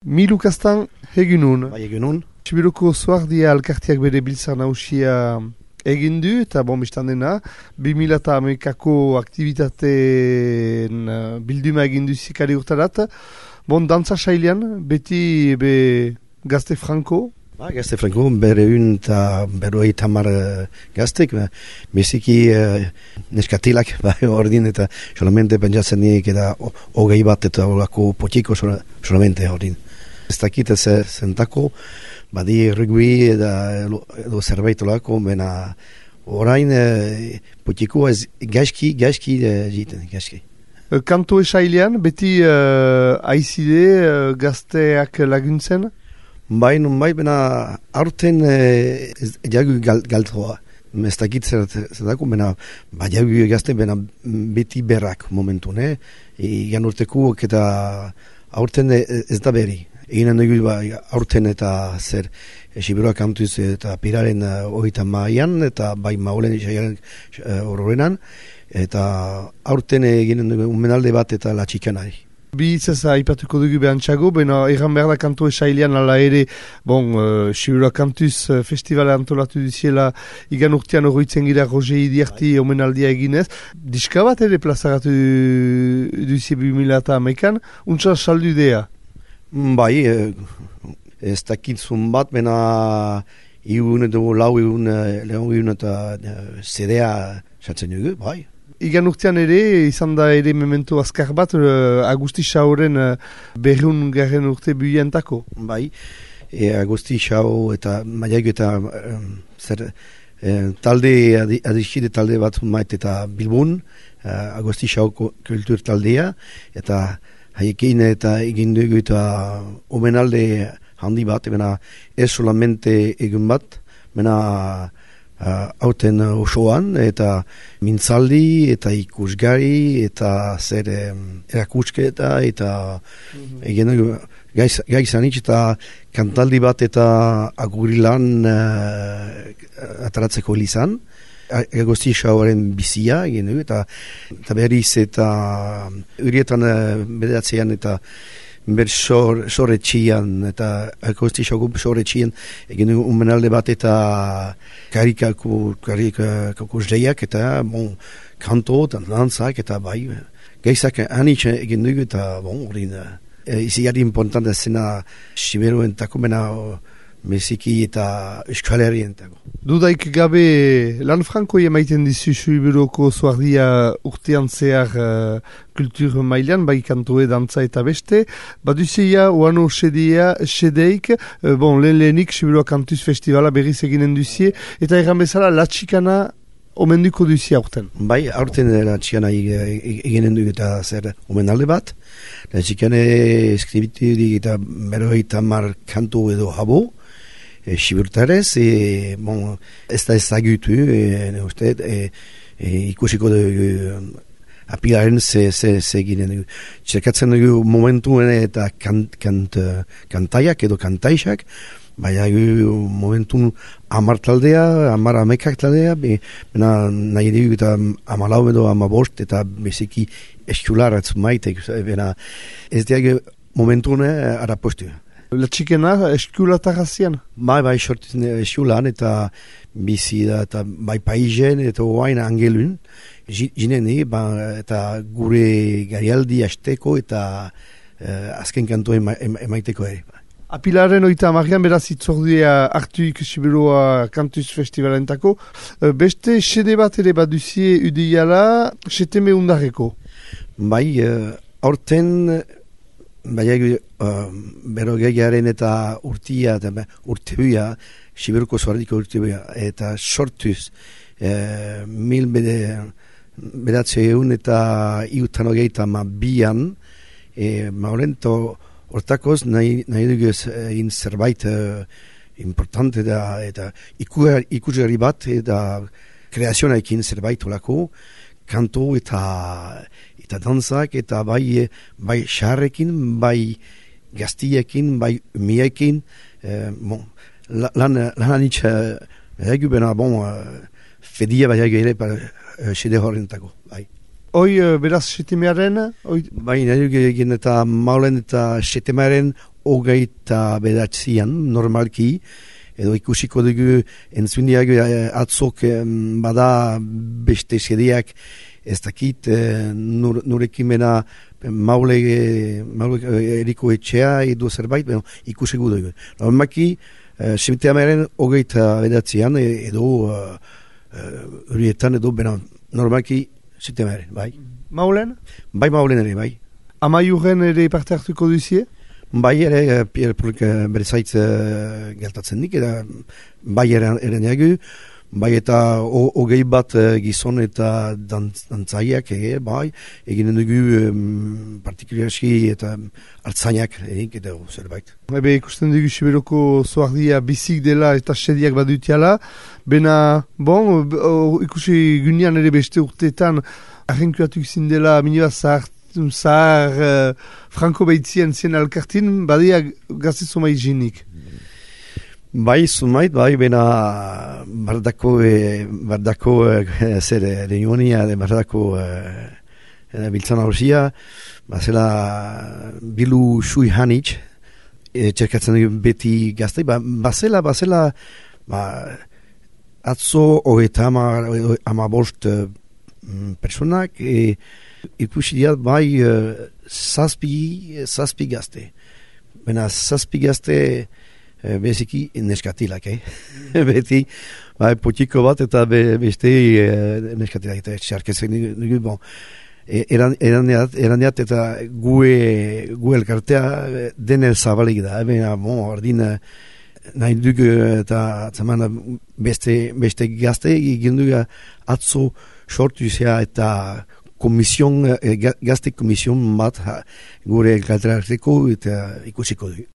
Milukastan hegunun. Bai, egunun. Sibiruko Zuardia alkartiak bere biltzar nausia egin du, eta biztan dena, 2011ko aktivitateen bilduma egin du zikari urtarat. Dantza sailean, beti gazte franko. Gazte franko, berreun eta berroi tamar gaztek, beziki neskatilak ordin, eta solamente pentsatzen nik eta hogei bat eta horako potiko solamente ordin. Ez dakit zentako, badi rugby edo zerbait olako, bena orain potiko ez gaizki jiten, gaizki. Kanto esailean, beti aizide gazteak laguntzen? Bai, bena aurten jagu galtroa. Ez dakit zertako, bena jagu gazte, bena beti berrak momentu, ne? Igan urteko eta aurten ez da berri. Eginen dugu aurten eta zer Siberua kantuz eta piraren hogeita maian eta bai maulen isaiaren horrenan eta aurten eginen dugu menalde bat eta la txikanari. Bi itzaz aipatuko dugu behantxago, egan behar da kanto esailean ala ere, Siberua kantuz festivala antolatu duziela igan urtean horretzen gira Roger Idiarti omenaldia eginez. Diska bat ere plazaratu duzie 2011an, untsa saldu idea? Bai, ez dakitzun bat, bena iun edo lau iun eta CD-a satzen dugu, bai. Igan urtean ere, izan da ere memento azkar bat, Agusti Xaoren 200. urte buientako. Bai, Agusti Xao eta maiago eta talde, adiskide talde bat mait eta Bilbon, Agusti Xao kultur taldea, eta haiekin eta egin dugu eta omenalde handi bat, ez solamente egun bat, hauten osoan, eta mintzaldi, eta ikusgari, eta zer erakusketa, eta egin dugu gaizanitz, eta kantaldi bat eta agurilan ataratzeko lizan, Agusti Xaoren bizia egin dugu, eta berriz eta urietan bederatzean eta sorretxian eta Agusti Xaoko sorretxian egin dugu unmenalde bat eta karikako zeiak eta kanto eta dantzak eta bai gaizak anitz egin dugu eta iziari importante zena Siberuentako Meziki eta Euskal-Herrientako. Dudaik gabe lan franko emaiten dizu Siberuko Zuardia urtean zehar kultur mailan, bai kantoe, dantza eta beste. Baduzeia, oano sedeik, lehenik Siberua Kantuz Festivala berriz eginen duzie, eta erran bezala latxikana omenduko duzie aurten. Bai, aurten latxikana eginen dugu eta zer omenalde bat. Latxikane eskribitu eta berrogeita hamar kanto edo habo, Sibertarez, ez da ezagutu, ikusiko dugu apilaren ze eginen dugu. Txerkatzen dugu momentuen eta kantaiak edo kantaixak, baina momentun 10 taldea, 10 amekak taldea, nahi dugu eta 14 edo 15 eta beziki eskularatz maite, ez dugu momentun arapostu. Latxikena eskulatarrazian? Bai, sortzen eskulan eta bizi da, eta bai paizen eta oain angelun, jinen eta gure garialdi hasteko eta azken kantoen emaiteko ere. Apilaren 30 beraz itzordua hartuik Siberua Kantuz Festivalentako. Beste sede bat ere baduzie udeiala seteme undarreko? Bai, aurten berrogeiaren eta urtia eta urtebuia, Siberuko Zuardiko urtebuia, eta sortuz 1900 eta iutan hogeita bian, maurento hortakoz nahi dugu egin zerbait importante da, eta ikusgarri bat eta kreazionaekin zerbait olako, kanto eta dantzak eta bai xarrekin, bai gaztiekin, bai umiekin, lan anitz egu bena fedia bai ere sede horrentako. Hoi beraz setemearen? Bai, nahi egin eta maulen eta setemearen 29 normalki, edo ikusiko dugu entzundiak atzok bada beste sedeak ez dakit nurekin bena maule eriko etxea edo zerbait, ikusiko dugu. Normalki, septiamaren 29 edo horietan edo bena normalki septiamaren, bai. Maulen? Bai maulen ere, bai. Amaiurren ere parte hartuko duzie? Bai ere, Pierre Polk berezaitz geltatzen dik, eta bai ere nagu, bai eta 21 gizon eta dantzaiak, bai, eginen dugu partikularski eta hartzainak egin, eta zerbait. Ebe ikusten dugu Siberoko zoardia bizik dela eta sediak badutiala, bena, bon, ikusi gunean ere beste urteetan, arrenkuatuk zindela minibaz zahar Franco Beitzien zen alkartin, badia gazte zumai jinik. Bai, zumait, bai, bena bardako zer reunionia, bardako biltzan hausia, bazela bilu sui hanitz, txerkatzen beti gazte, bazela, atzo eta ama bost personak, ikusi diat bai zazpi gazte. Bena zazpi gazte beziki neskatilak, beti bai potiko bat eta beste neskatilak eta txarketzen dugu, bon. Eraneat eta gu elkartea denen zabalik da, bena, bon, ordin nahi dugu eta zaman beste gazte egin dugu atzo sortu zea eta gazte komision bat gure elkartea eta ikusiko dugu.